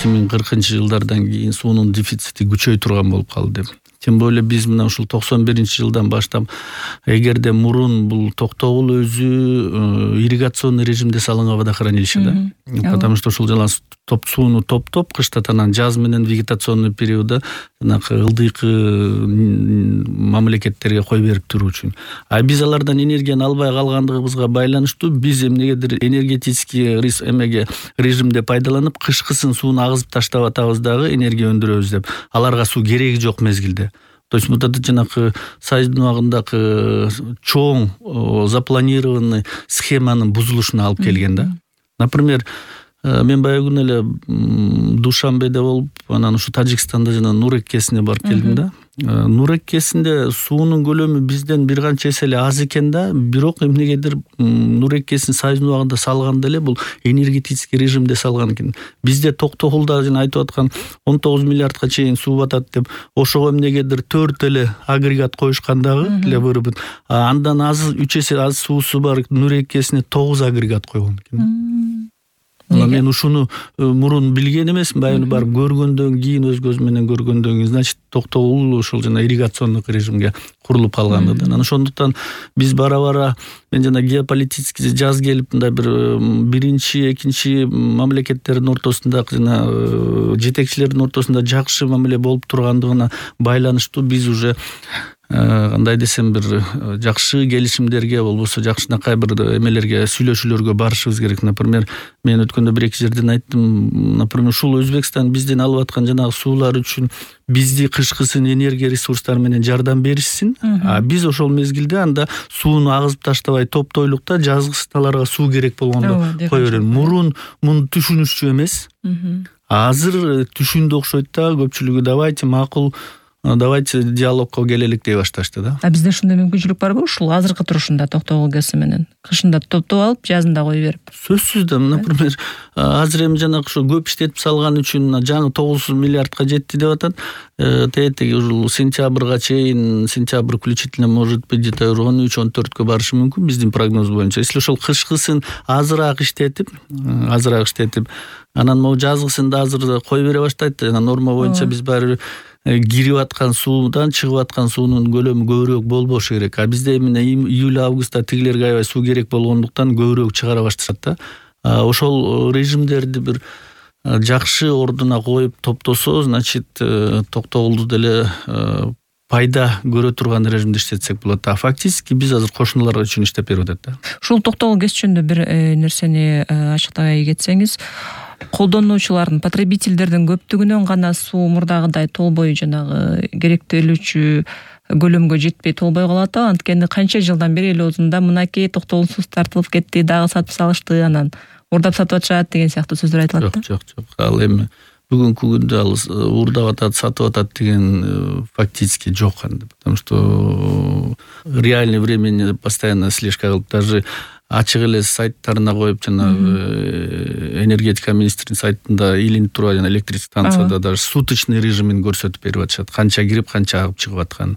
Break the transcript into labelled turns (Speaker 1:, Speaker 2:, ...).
Speaker 1: 2040-жылдардан кийин суунун дефицити күчөй турган болуп калды деп. Тем более биз мына ушул 91-жылдан баштап эгерде мурун бул Токтогул өзү ирригационный режимде салынган водохранилище да. Потому что ушул жана сууну топтоп кыштат, анан жаз менен вегетационный периодда жанагы ылдыйкы мамлекеттерге кой берип туруу үчүн. А биз алардан энергияны албай калгандыгыбызга байланыштуу биз эмнегедир энергетический режимде пайдаланып кышкысын сууну агызып таштап атабыз дагы энергия өндүрөбүз деп. Аларга суу кереги жок мезгилде. То есть вот это жанагы Союздун убагындагы чоң запланированный схеманын бузулушуна алып келген да. Например, мен баягы күнү эле Душанбеде болуп, анан ушу Тажикстанда жана Нур эккесине барып келдим да. Нур эккесинде суунун көлөмү бизден бир канча эсе эле аз экен да, бирок эмнегедир Нур эккесин Союздун убагында салганда эле бул энергетический режимде салган экен. Бизде Токтогулда жана айтып аткан 19 миллиардка чейин суу батат деп, ошого эмнегедир 4 эле агрегат коюшкан дагы для вырубы. Андан аз 3 эсе аз суусу бар Нур эккесине 9 агрегат койгон экен. Мен ушуну мурун билген эмесмин, баягы барып көргөндөн кийин, өз көзүм менен көргөндөн кийин, значит, Токтогул ушул жана ирригационный режимге курулуп калган да. Анан ошондуктан биз бара-бара мен жана геополитический жаз келип мындай бир биринчи, экинчи мамлекеттердин ортосунда жана жетекчилердин ортосунда жакшы мамиле болуп тургандыгына байланыштуу биз уже кандай десем бир жакшы келишимдерге, болбосо жакшынакай бир эмелерге, сүйлөшүүлөргө барышыбыз керек. Например, мен өткөндө бир эки жерден айттым, например, ушул Өзбекстан бизден алып аткан жанагы суулар үчүн бизди кышкысын энергия ресурстары менен жардам беришсин, а биз ошол мезгилде анда сууну агызып таштабай топтойлук да, жазгысы аларга суу керек болгондо кое берем. Мурун муну түшүнүшчү эмес. Азыр түшүндү окшойт да, көпчүлүгү давайте макул, давайте диалогко келелик дей башташты да.
Speaker 2: А бизде ушундай мүмкүнчүлүк барбы ушул азыркы турушунда Токтогул ГЭС менен? Кышында топтоп алып, жазында кое берип.
Speaker 1: Сөзсүз да, например, азыр эми жанагы ошо көп иштетип салган үчүн жаңы 9 миллиардка жетти деп атат. Теги ушул сентябрга чейин, сентябрь включительно может быть где-то 13-14кө барышы мүмкүн биздин прогноз боюнча. Если ошол кышкысын азыраак иштетип, анан могу жазгысында азыр кой бере баштайт. Жана норма боюнча биз баары кирип аткан суудан чыгып аткан суунун көлөмү көбүрөөк болбошу керек. А бизде эмне июль-августта тигилерге аябай суу керек болгондуктан көбүрөөк чыгара башташат да. Ошол режимдерди бир жакшы ордуна коюп топтосо, значит, Токтогулду деле пайда көрө турган режимде иштетсек болот. А фактически биз азыр кошуналар үчүн иштеп берип атат да.
Speaker 2: Ушул Токтогул ГЭС жөнүндө бир нерсени ачыктай кетсеңиз, колдонуучулардын, потребительдердин көптүгүнөн гана суу мурдагыдай толбой жанагы керектелүүчү көлөмгө жетпей толбой калат да. Анткени канча жылдан бери эл оозунда мынакей Токтогул суусу тартылып кетти, дагы сатып салышты, анан урдап сатып атышат деген сыяктуу сөздөр айтылат да.
Speaker 1: Жок. Ал эми бүгүнкү күндө ал урдап атат, сатып атат деген фактически жок анда. Потому что реальный времени постоянно слежка кылып, даже ачык эле сайттарына коюп, жана энергетика министринин сайтында илинип турган жана электрик станцияда даже суточный режимин көрсөтүп берип атышат. Канча кирип, канча агып чыгып атканын.